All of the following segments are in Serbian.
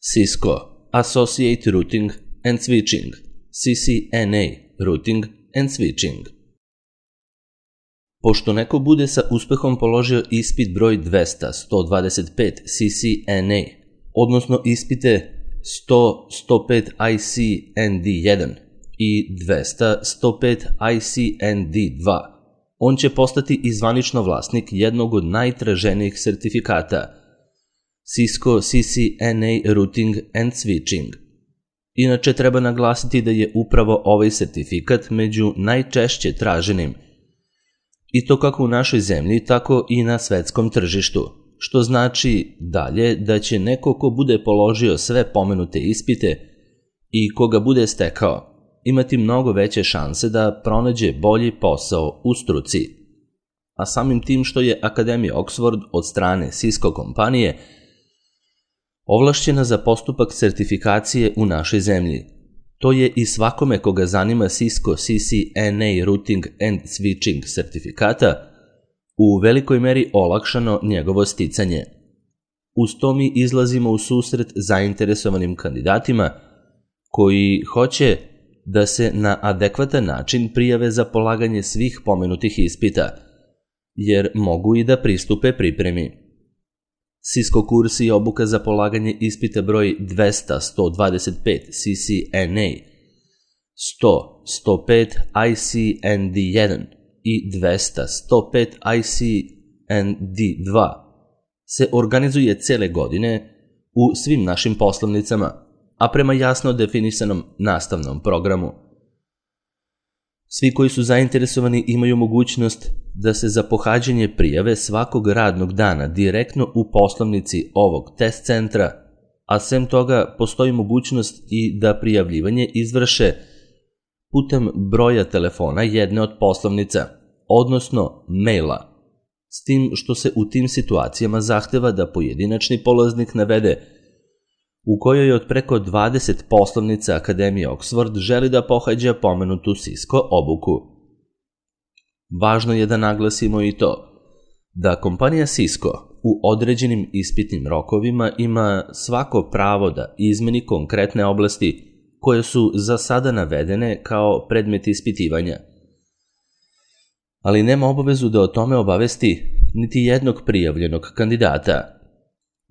Cisco Associate Routing and Switching, CCNA Routing and Switching. Pošto neko bude sa uspehom položio ispit broj 200-125 CCNA, odnosno ispite 100-105 ICND1 i 200-105 ICND2, on će postati i zvanično vlasnik jednog od najtraženijih sertifikata, Cisco CCNA Routing and Switching. Inače, treba naglasiti da je upravo ovaj sertifikat među najčešće traženim, i to kako u našoj zemlji, tako i na svetskom tržištu, što znači dalje da će neko ko bude položio sve pomenute ispite i koga bude stekao, imati mnogo veće šanse da pronađe bolji posao u struci. A samim tim što je Akademija Oxford od strane Cisco kompanije ovlašćena za postupak sertifikacije u našoj zemlji, to je i svakome koga zanima Cisco CCNA Routing and Switching sertifikata u velikoj meri olakšano njegovo sticanje. Uz to mi izlazimo u susret zainteresovanim kandidatima koji hoće da se na adekvatan način prijave za polaganje svih pomenutih ispita, jer mogu i da pristupe pripremi. Cisco kurs i obuka za polaganje ispita broj 200-125 CCNA, 100-105 ICND1 i 200-105 ICND2 se organizuje cele godine u svim našim poslovnicama, a prema jasno definisanom nastavnom programu. Svi koji su zainteresovani imaju mogućnost da se za pohađanje prijave svakog radnog dana direktno u poslovnici ovog test centra, a sem toga postoji mogućnost i da prijavljivanje izvrše putem broja telefona jedne od poslovnica, odnosno maila, s tim što se u tim situacijama zahteva da pojedinačni polaznik navede u kojoj od preko 20 poslovnica Akademije Oxford želi da pohađa pomenutu Cisco obuku. Važno je da naglasimo i to da kompanija Cisco u određenim ispitnim rokovima ima svako pravo da izmeni konkretne oblasti koje su za sada navedene kao predmet ispitivanja, ali nema obavezu da o tome obavesti niti jednog prijavljenog kandidata.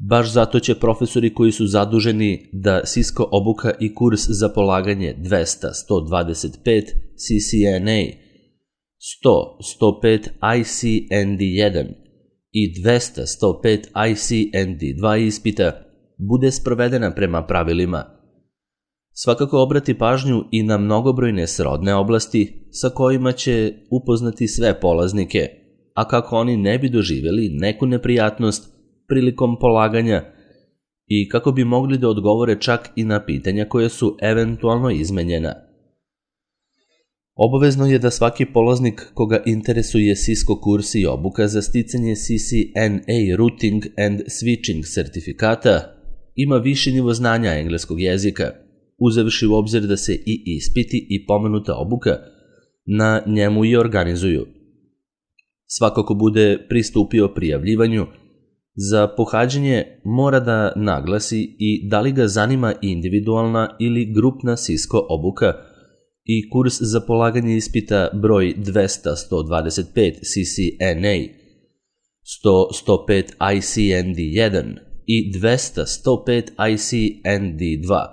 Baš zato će profesori koji su zaduženi da Cisco obuka i kurs za polaganje 200-125 CCNA, 100-105 ICND1 i 200-105 ICND2 ispita bude sprovedena prema pravilima. Svakako obrati pažnju i na mnogobrojne srodne oblasti sa kojima će upoznati sve polaznike, a kako oni ne bi doživjeli neku neprijatnost prilikom polaganja i kako bi mogli da odgovore čak i na pitanja koja su eventualno izmenjena. Obavezno je da svaki polaznik koga interesuje Cisco kurs i obuka za sticanje CCNA Routing and Switching sertifikata ima viši nivo znanja engleskog jezika, uzevši u obzir da se i ispiti i pomenuta obuka na njemu i organizuju. Svako ko bude pristupio prijavljivanju za pohađanje mora da naglasi i da li ga zanima individualna ili grupna Cisco obuka i kurs za polaganje ispita broj 200-125 CCNA, 100-105 ICND1 i 200-105 ICND2,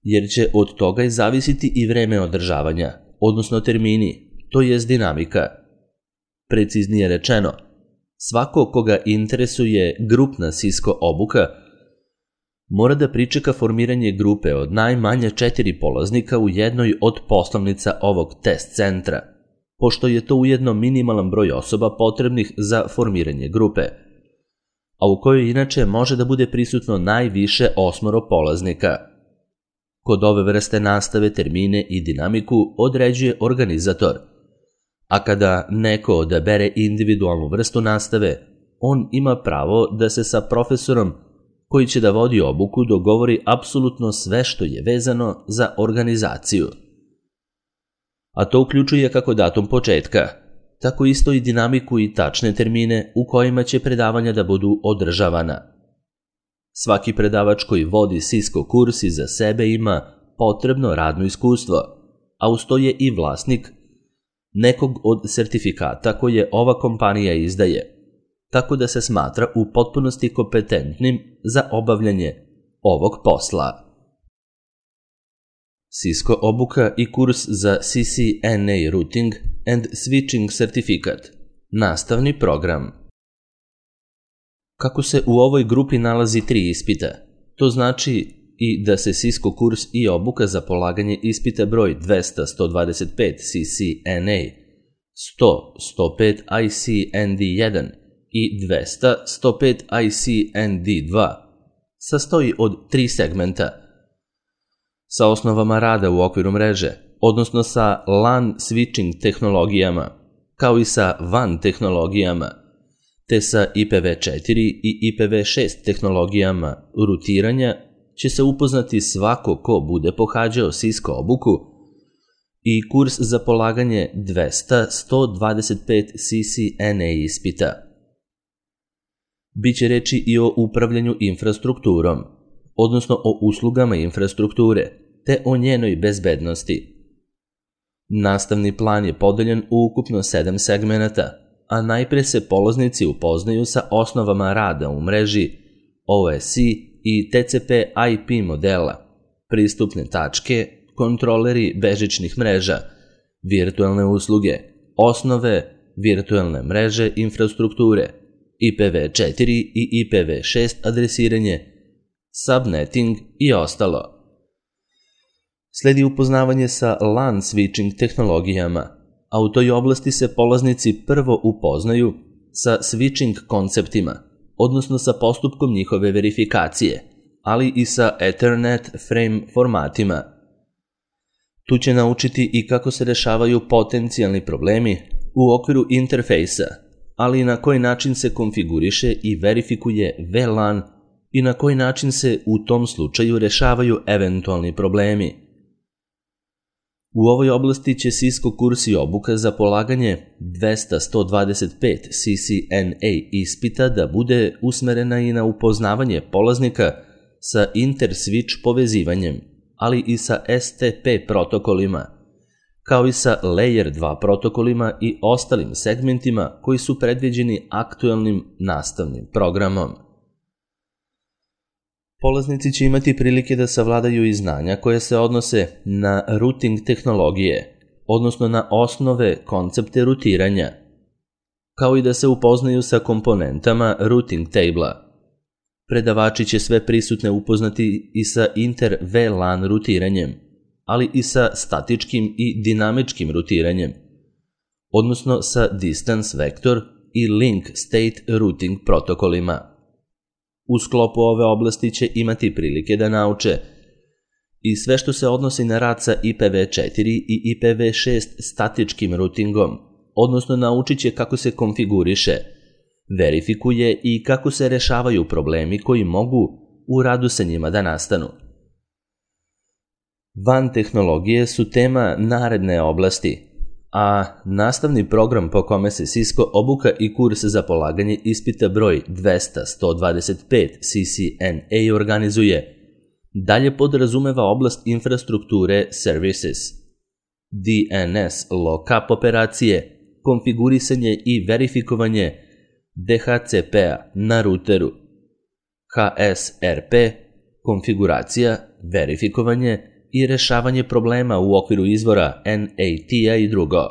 jer će od toga i zavisiti i vreme održavanja, odnosno termini, to jest dinamika. Preciznije rečeno, svako koga interesuje grupna Cisco obuka mora da pričeka formiranje grupe od najmanje 4 polaznika u jednoj od poslovnica ovog test centra, pošto je to ujedno minimalan broj osoba potrebnih za formiranje grupe, a u kojoj inače može da bude prisutno najviše 8 polaznika. Kod ove vrste nastave termine i dinamiku određuje organizator, a kada neko odabere individualnu vrstu nastave, on ima pravo da se sa profesorom koji će da vodi obuku dogovori apsolutno sve što je vezano za organizaciju. A to uključuje kako datum početka, tako isto i dinamiku i tačne termine u kojima će predavanja da budu održavana. Svaki predavač koji vodi Cisco kurs iza sebe ima potrebno radno iskustvo, a uz to je i vlasnik nekog od sertifikata koje ova kompanija izdaje, tako da se smatra u potpunosti kompetentnim za obavljanje ovog posla. Cisco obuka i kurs za CCNA Routing and Switching Certificate, nastavni program. Kako se u ovoj grupi nalazi 3 ispita, to znači i da se Cisco kurs i obuka za polaganje ispita broj 200-125 CCNA, 100-105 ICND1 i 200-105 ICND2 sastoji od 3 segmenta. Sa osnovama rada u okviru mreže, odnosno sa LAN switching tehnologijama, kao i sa WAN tehnologijama, te sa IPv4 i IPv6 tehnologijama rutiranja, će se upoznati svako ko bude pohađao Cisco obuku i kurs za polaganje 200-125 CCNA ispita. Biće reči i o upravljanju infrastrukturom, odnosno o uslugama infrastrukture, te o njenoj bezbednosti. Nastavni plan je podeljen u ukupno 7 segmenata, a najpre se polaznici upoznaju sa osnovama rada u mreži, OSI i TCP/IP modela, pristupne tačke, kontroleri bežičnih mreža, virtualne usluge, osnove virtualne mreže infrastrukture, IPv4 i IPv6 adresiranje, subnetting i ostalo. Sledi upoznavanje sa LAN switching tehnologijama, a u toj oblasti se polaznici prvo upoznaju sa switching konceptima, odnosno sa postupkom njihove verifikacije, ali i sa Ethernet frame formatima. Tu će naučiti i kako se rešavaju potencijalni problemi u okviru interfejsa, ali i na koji način se konfiguriše i verifikuje VLAN i na koji način se u tom slučaju rešavaju eventualni problemi. U ovoj oblasti će Cisco kurs i obuka za polaganje 200-125 CCNA ispita da bude usmerena i na upoznavanje polaznika sa inter-switch povezivanjem, ali i sa STP protokolima, kao i sa Layer 2 protokolima i ostalim segmentima koji su predviđeni aktuelnim nastavnim programom. Polaznici će imati prilike da savladaju i znanja koje se odnose na routing tehnologije, odnosno na osnove koncepte rutiranja, kao i da se upoznaju sa komponentama routing table-a. Predavači će sve prisutne upoznati i sa inter-VLAN rutiranjem, ali i sa statičkim i dinamičkim rutiranjem, odnosno sa distance vector i link state routing protokolima. U sklopu ove oblasti će imati prilike da nauče i sve što se odnosi na rad sa IPv4 i IPv6 statičkim routingom, odnosno naučit će kako se konfiguriše, verifikuje i kako se rešavaju problemi koji mogu u radu sa njima da nastanu. WAN tehnologije su tema naredne oblasti, a nastavni program po kome se Cisco obuka i kurs za polaganje ispita broj 200-125 CCNA organizuje, dalje podrazumeva oblast infrastrukture services, DNS lookup operacije, konfigurisanje i verifikovanje DHCP-a na ruteru, HSRP, konfiguracija, verifikovanje i rešavanje problema u okviru izvora NAT-a i drugo.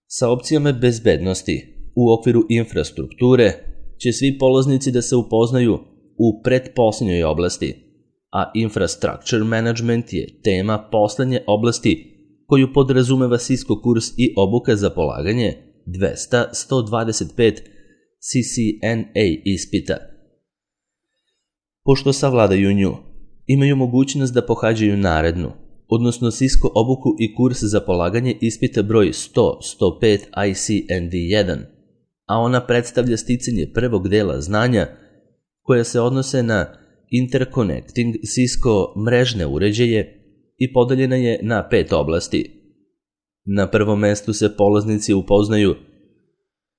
Sa opcijama bezbednosti u okviru infrastrukture će svi polaznici da se upoznaju u pretposlednjoj oblasti, a infrastructure management je tema poslednje oblasti koju podrazumeva Cisco kurs i obuka za polaganje 200-125 CCNA ispita. Pošto savladaju nju, imaju mogućnost da pohađaju narednu, odnosno Cisco obuku i kurs za polaganje ispita broj 100-105 ICND1, a ona predstavlja sticanje prvog dela znanja koja se odnose na interconnecting Cisco mrežne uređaje i podeljena je na 5 oblasti. Na prvom mestu se polaznici upoznaju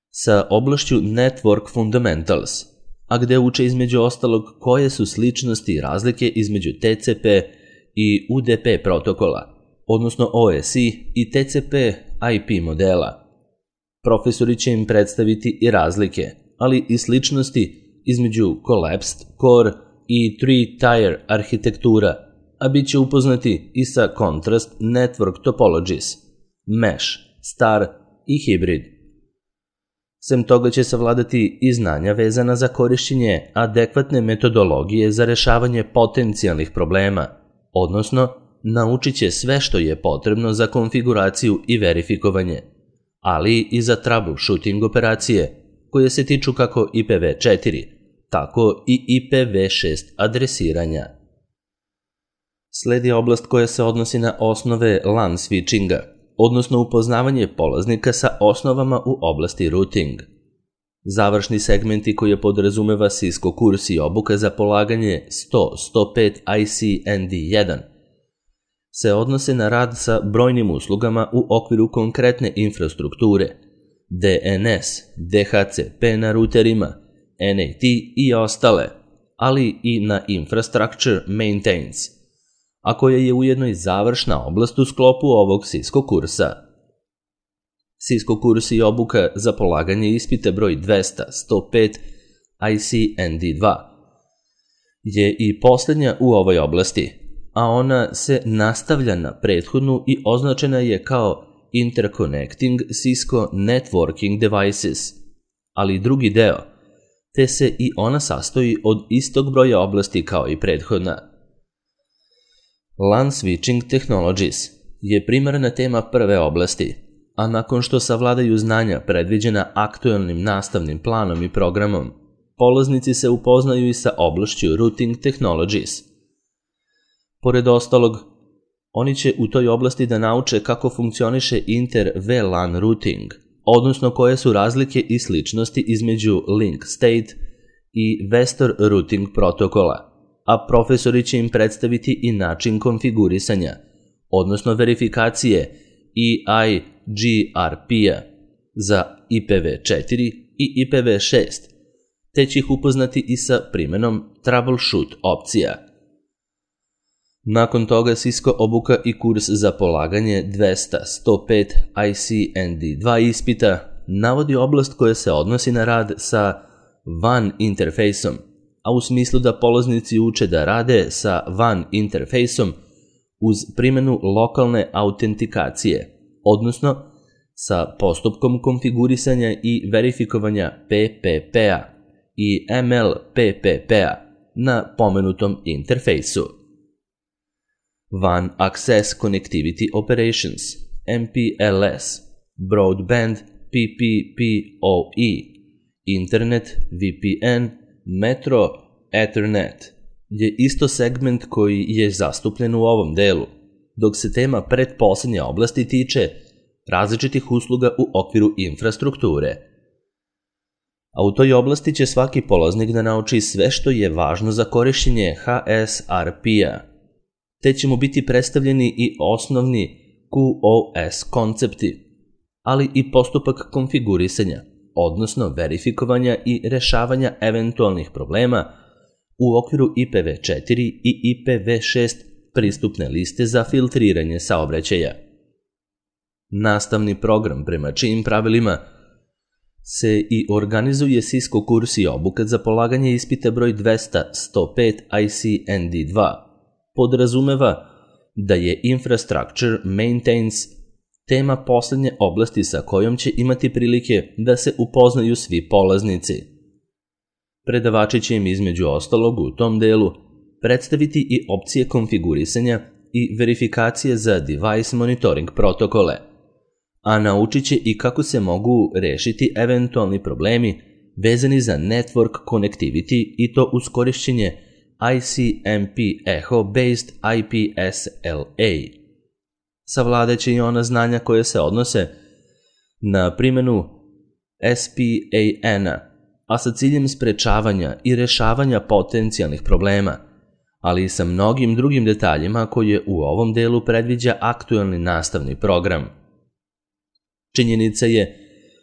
sa oblašću Network Fundamentals, a gde uče između ostalog koje su sličnosti i razlike između TCP i UDP protokola, odnosno OSI i TCP IP modela. Profesori će im predstaviti i razlike, ali i sličnosti između Collapsed Core i Three-Tier arhitektura, a bit će upoznati i sa Contrast Network Topologies, Mesh, Star i Hybrid. Sem toga će savladati i znanja vezana za korišćenje adekvatne metodologije za rešavanje potencijalnih problema, odnosno naučit će sve što je potrebno za konfiguraciju i verifikovanje, ali i za troubleshooting operacije koje se tiču kako IPv4, tako i IPv6 adresiranja. Sledi oblast koja se odnosi na osnove LAN switchinga, odnosno upoznavanje polaznika sa osnovama u oblasti routing. Završni segmenti koje podrazumeva Cisco kurs i obuka za polaganje 100-105 ICND1 se odnose na rad sa brojnim uslugama u okviru konkretne infrastrukture, DNS, DHCP na ruterima, NAT i ostale, ali i na infrastructure maintenance, a koja je ujedno i završna oblast u sklopu ovog Cisco kursa. Cisco kurs i obuka za polaganje ispita broj 200-105 ICND2 je i posljednja u ovoj oblasti, a ona se nastavlja na prethodnu i označena je kao Interconnecting Cisco Networking Devices, ali drugi deo, te se i ona sastoji od istog broja oblasti kao i prethodna. LAN Switching Technologies je primarna tema prve oblasti, a nakon što savladaju znanja predviđena aktualnim nastavnim planom i programom, polaznici se upoznaju i sa oblašću Routing Technologies. Pored ostalog, oni će u toj oblasti da nauče kako funkcioniše inter-VLAN routing, odnosno koje su razlike i sličnosti između Link State i Vestor routing protokola, a profesori će im predstaviti i način konfigurisanja, odnosno verifikacije EIGRP-a za IPv4 i IPv6, te će ih upoznati i sa primenom troubleshoot opcija. Nakon toga Cisco obuka i kurs za polaganje 200-105 ICND2 ispita navodi oblast koja se odnosi na rad sa WAN interfejsom, a u smislu da polaznici uče da rade sa WAN interfejsom uz primjenu lokalne autentikacije, odnosno sa postupkom konfigurisanja i verifikovanja PPP-a i MLPPP-a na pomenutom interfejsu. WAN Access Connectivity Operations, MPLS, Broadband PPPoE, Internet VPN, Metro Ethernet je isto segment koji je zastupljen u ovom delu, dok se tema pretposlednje oblasti tiče različitih usluga u okviru infrastrukture. A u toj oblasti će svaki polaznik da nauči sve što je važno za korišćenje HSRP-a, te će mu biti predstavljeni i osnovni QoS koncepti, ali i postupak konfigurisanja, odnosno verifikovanja i rešavanja eventualnih problema u okviru IPv4 i IPv6 pristupne liste za filtriranje saobraćaja. Nastavni program prema čijim pravilima se i organizuje Cisco kurs i obuka za polaganje ispita broj 200-105 ICND2 podrazumeva da je Infrastructure Maintenance tema poslednje oblasti sa kojom će imati prilike da se upoznaju svi polaznici. Predavači će im između ostalog u tom delu predstaviti i opcije konfigurisanja i verifikacije za device monitoring protokole, a naučit će i kako se mogu rešiti eventualni problemi vezani za network connectivity i to uz korišćenje ICMP Echo-based IP SLA. Savladaće i ona znanja koje se odnose na primjenu SPAN-a, a sa ciljem sprečavanja i rešavanja potencijalnih problema, ali i sa mnogim drugim detaljima koje u ovom delu predviđa aktualni nastavni program. Činjenica je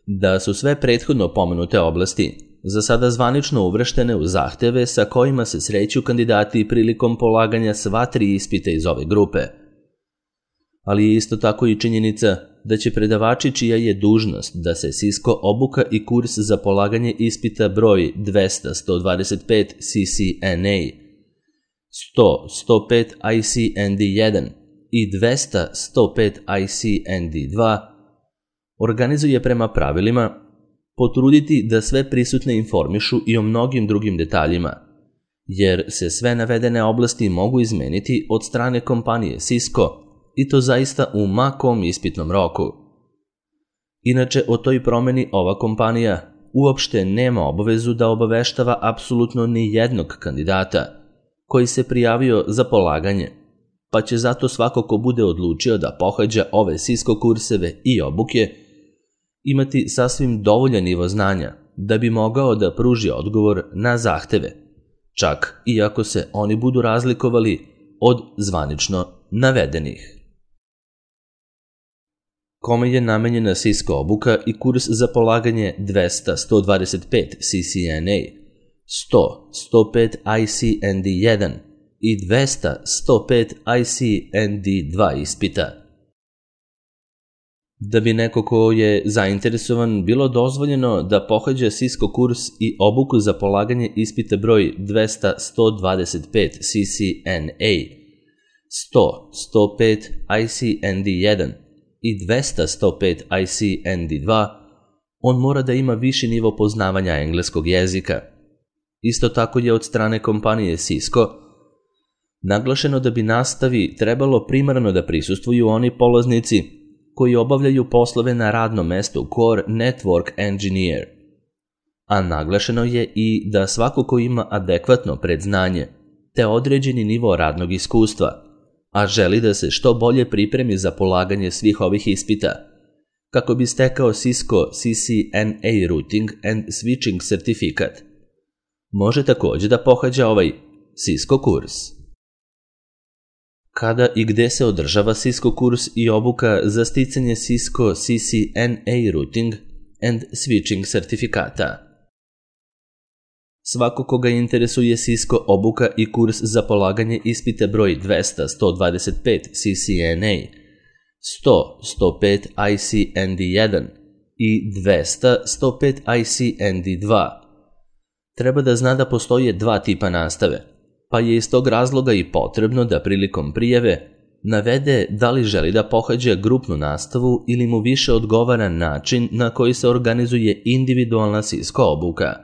da su sve prethodno pomenute oblasti za sada zvanično uvrštene u zahteve sa kojima se sreću kandidati prilikom polaganja sva 3 ispita iz ove grupe. Ali je isto tako i činjenica da će predavači čija je dužnost da se Cisco obuka i kurs za polaganje ispita broj 200-125 CCNA, 100-105 ICND1 i 200-105 ICND2 organizuje prema pravilima, potruditi da sve prisutne informišu i o mnogim drugim detaljima, jer se sve navedene oblasti mogu izmeniti od strane kompanije Cisco i to zaista u ma kom ispitnom roku. Inače, o toj promeni ova kompanija uopšte nema obavezu da obaveštava apsolutno ni jednog kandidata koji se prijavio za polaganje, pa će zato svako ko bude odlučio da pohađa ove Cisco kurseve i obuke imati sasvim dovoljan nivo znanja da bi mogao da pruži odgovor na zahteve, čak i ako se oni budu razlikovali od zvanično navedenih. Kome je namenjena Cisco obuka i kurs za polaganje 200-125 CCNA, 100-105 ICND1 i 200-105 ICND2 ispita? Da bi neko ko je zainteresovan bilo dozvoljeno da pohađa Cisco kurs i obuku za polaganje ispita broj 200-125 CCNA, 100-105 ICND1 i 200-105 ICND2, on mora da ima viši nivo poznavanja engleskog jezika. Isto tako je od strane kompanije Cisco naglašeno da bi nastavi trebalo primarno da prisustvuju oni polaznici koji obavljaju poslove na radnom mestu Core Network Engineer, a naglašeno je i da svako ko ima adekvatno predznanje te određeni nivo radnog iskustva, a želi da se što bolje pripremi za polaganje svih ovih ispita, kako bi stekao Cisco CCNA Routing and Switching sertifikat, može također da pohađa ovaj Cisco kurs. Kada i gde se održava Cisco kurs i obuka za sticanje Cisco CCNA Routing and Switching sertifikata? Svako koga interesuje Cisco obuka i kurs za polaganje ispita broj 200-125 CCNA, 100-105 ICND1 i 200-105 ICND2 treba da zna da postoje 2 tipa nastave, pa je iz tog razloga i potrebno da prilikom prijave navede da li želi da pohađa grupnu nastavu ili mu više odgovara način na koji se organizuje individualna Cisco obuka.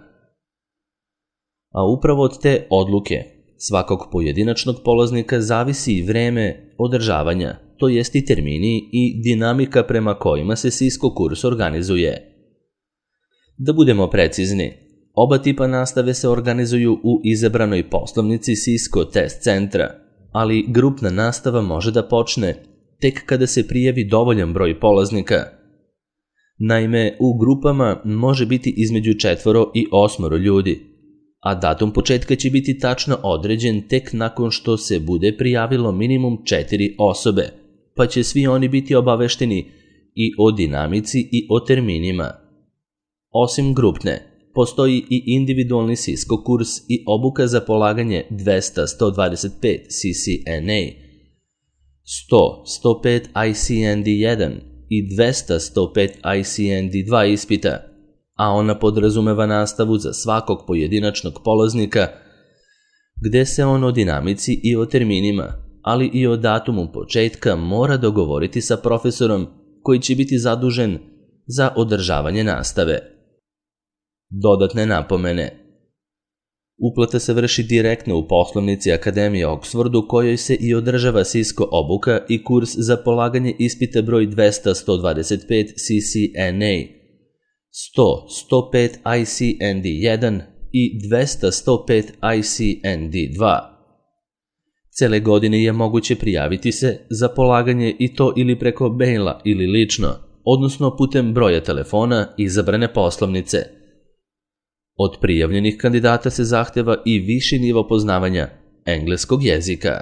A upravo od te odluke svakog pojedinačnog polaznika zavisi i vreme održavanja, to jest i termini i dinamika prema kojima se Cisco kurs organizuje. Da budemo precizni, oba tipa nastave se organizuju u izabranoj poslovnici Cisco test centra, ali grupna nastava može da počne tek kada se prijavi dovoljan broj polaznika. Naime, u grupama može biti između 4 i 8 ljudi, a datum početka će biti tačno određen tek nakon što se bude prijavilo minimum 4 osobe, pa će svi oni biti obavešteni i o dinamici i o terminima. Osim grupne, postoji i individualni Cisco kurs i obuka za polaganje 200-125 CCNA, 100-105 ICND1 i 200-105 ICND2 ispita, a ona podrazumeva nastavu za svakog pojedinačnog polaznika, gde se on o dinamici i o terminima, ali i o datumu početka mora dogovoriti sa profesorom koji će biti zadužen za održavanje nastave. Dodatne napomene. Uplata se vrši direktno u poslovnici Akademije Oxford u kojoj se i održava Cisco obuka i kurs za polaganje ispita broj 200-125 CCNA, 100-105 ICND1 i 200-105 ICND2. Cele godine je moguće prijaviti se za polaganje i to ili preko maila ili lično, odnosno putem broja telefona izabrane poslovnice. Od prijavljenih kandidata se zahteva i viši nivo poznavanja engleskog jezika.